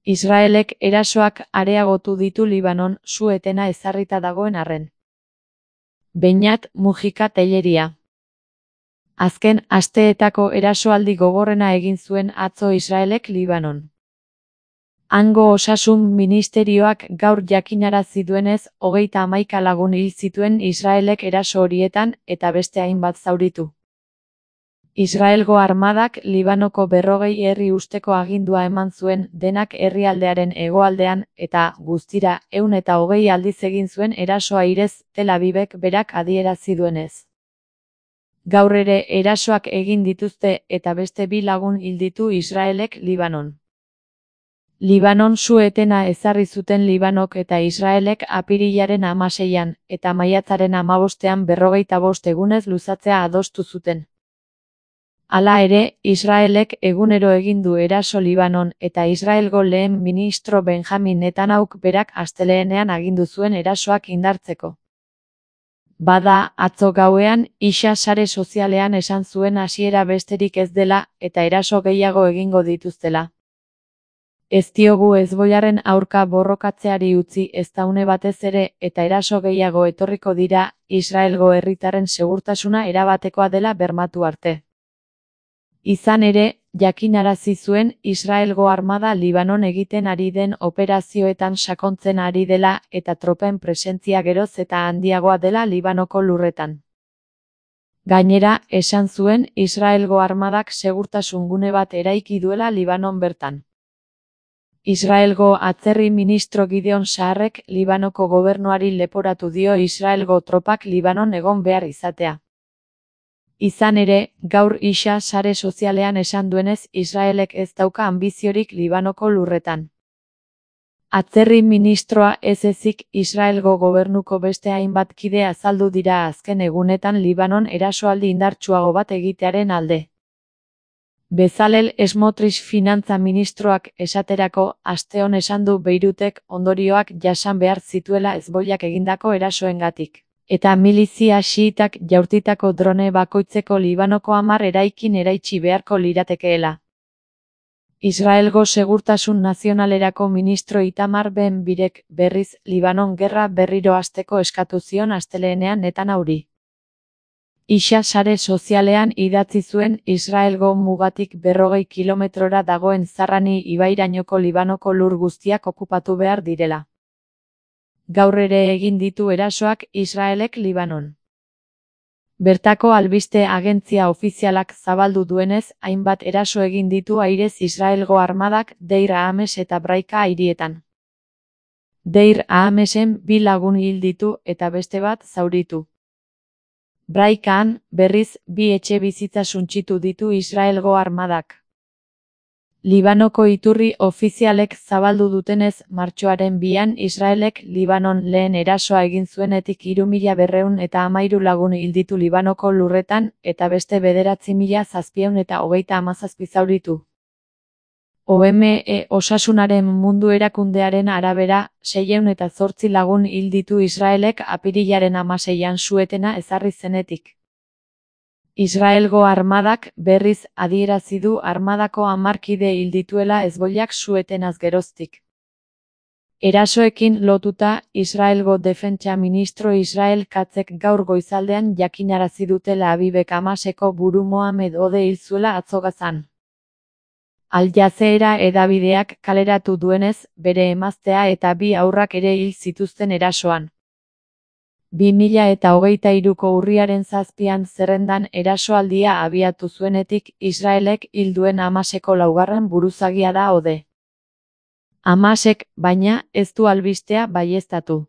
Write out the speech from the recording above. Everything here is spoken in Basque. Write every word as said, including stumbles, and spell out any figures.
Israelek erasoak areagotu ditu Libanon su-etena ezarrita dagoen arren. Beñat Mujika Telleria. Azken asteetako erasoaldi gogorrena egin zuen atzo Israelek Libanon. Hango osasun ministerioak gaur jakinarazi duenez, hogeita hamaika lagun hil zituen Israelek eraso horietan eta beste hainbat zauritu. Israelgo armadak Libanoko berrogei herri usteko agindua eman zuen denak herrialdearen hegoaldean eta, guztira, ehun eta hogei aldiz egin zuen erasoa airez Tel Avivek berak adierazi duenez. Gaur ere erasoak egin dituzte eta beste bi lagun hil ditu Israelek Libanon. Libanon su-etena ezarri zuten Libanok eta Israelek apirilaren hamaseian eta maiatzaren hamabostean berrogeita bost egunez luzatzea adostu zuten. Hala ere, Israelek egunero egin du eraso Libanon eta Israelgo lehen ministro Benjamin Netanyahuk berak astelehenean agindu zuen erasoak indartzeko. Bada, atzo gauean, isa sare sozialean esan zuen hasiera besterik ez dela eta eraso gehiago egingo dituztela. Ez diogu Hezbollaren aurka borrokatzeari utzi ezta une batez ere eta eraso gehiago etorriko dira, Israelgo herritarren segurtasuna erabatekoa dela bermatu arte. Izan ere, jakinarazi zuen Israelgo armada Libanon egiten ari den operazioetan sakontzen ari dela eta tropen presentzia geroz eta handiagoa dela Libanoko lurretan. Gainera, esan zuen Israelgo armadak segurtasun gune bat eraiki duela Libanon bertan. Israelgo atzerri ministro Gideon Saarrek Libanoko gobernuari leporatu dio Israelgo tropak Libanon egon behar izatea. Izan ere, gaur isa sare sozialean esan duenez Israelek ez dauka anbiziorik Libanoko lurretan. Atzerri ministroa ez ezik Israelgo gobernuko beste hainbat kide azaldu dira azken egunetan Libanon erasoaldi indartsuago bat egitearen alde. Bezalel Smotrich finantza ministroak esaterako asteon esan du Beirutek ondorioak jasan behar zituela Hezbollak egindako erasoengatik. Eta milizia xiitak jaurtitako drone bakoitzeko Libanoko hamar eraikin eraitsi beharko liratekeela. Israelgo segurtasun nazionalerako ministro Itamar Ben-Gvirek berriz Libanon gerra berriro hasteko eskatu zion astelehenean Netanyahui. Isa sare sozialean idatzi zuen Israelgo mugatik berrogei kilometrora dagoen Zarrani ibairainoko Libanoko lur guztiak okupatu behar direla. Gaur ere egin ditu erasoak Israelek Libanon. Bertako albiste agentzia ofizialak zabaldu duenez, hainbat eraso egin ditu airez Israelgo armadak Deir Ames eta Braika hirietan. Deir Amesen bi lagun hil ditu eta beste bat zauritu. Braikaan, berriz, bi etxe bizitza suntsitu ditu Israelgo armadak. Libanoko iturri ofizialek zabaldu dutenez, martxoaren bian Israelek Libanon lehen erasoa egin zuenetik hiru mila berrehun eta hamairu lagun hil ditu Libanoko lurretan eta beste bederatzi mila zazpiehun eta hogeita hamazazpi zauritu. O M E Osasunaren Mundu Erakundearen arabera, seiehun eta zortzi lagun hil ditu Israelek apirilaren hamaseian su-etena ezarri zenetik. Israelgo armadak berriz adierazi du armadako hamar kide hil dituela Hezbollak su-etenaz geroztik. Erasoekin lotuta, Israelgo defentsa ministro Israel Katzek gaur goizaldean jakinarazi du Tel Avivek Hamaseko buru Mohamed Ode hil zuela atzo Gazan. Al Jazeera hedabideak kaleratu duenez, bere emaztea eta bi haurrak ere hil zituzten erasoan. bi mila eta hogeita hiruko urriaren zazpian zerrendan erasoaldia abiatu zuenetik Israelek hil duen Hamaseko laugarren buruzagia da Ode. Hamasek, baina, ez du albistea baieztatu.